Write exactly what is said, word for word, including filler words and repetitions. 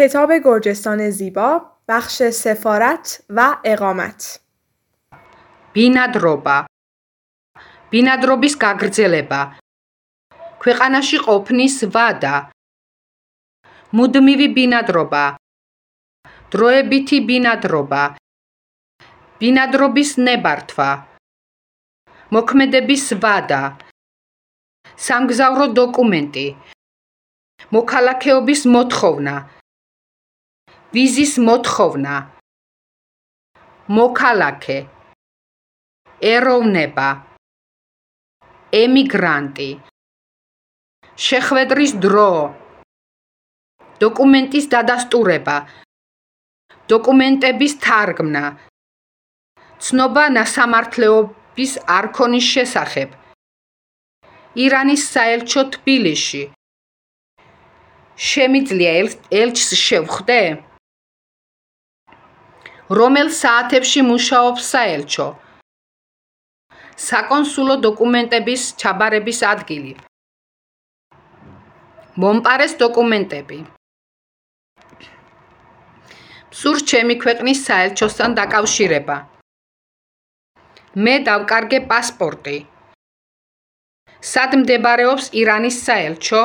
کتاب گرجستان زیبا بخش سفارت و اقامت ბინადრობა ბინადრობის გაგრძელება ქვეყანაში ყოფნის ვადა მუდმივი ბინადრობა დროებითი ბინადრობა ბინადრობის ნებართვა მოქმედების ვადა სამგზავრო დოკუმენტი მოქალაქეობის მოთხოვნა ვიზის მოთხოვნა მოქალაქე ეროვნება ემიგრანტი შეხვედრის დრო დოკუმენტის დადასტურება დოკუმენტების თარგმნა ცნობა ნასამართლეობის არქონის შესახებ ირანის საელჩო თბილისში შემიძლია ელჩს შევხვდე? რომელ საათებში მუშაობს საელჩო? საკონსულო დოკუმენტების ჩაბარების ადგილი მომპარეს დოკუმენტები მსურს ჩემი ქვეყნის საელჩოსთან დაკავშირება მე დავკარგე პასპორტი სად მდებარეობს ირანის საელჩო?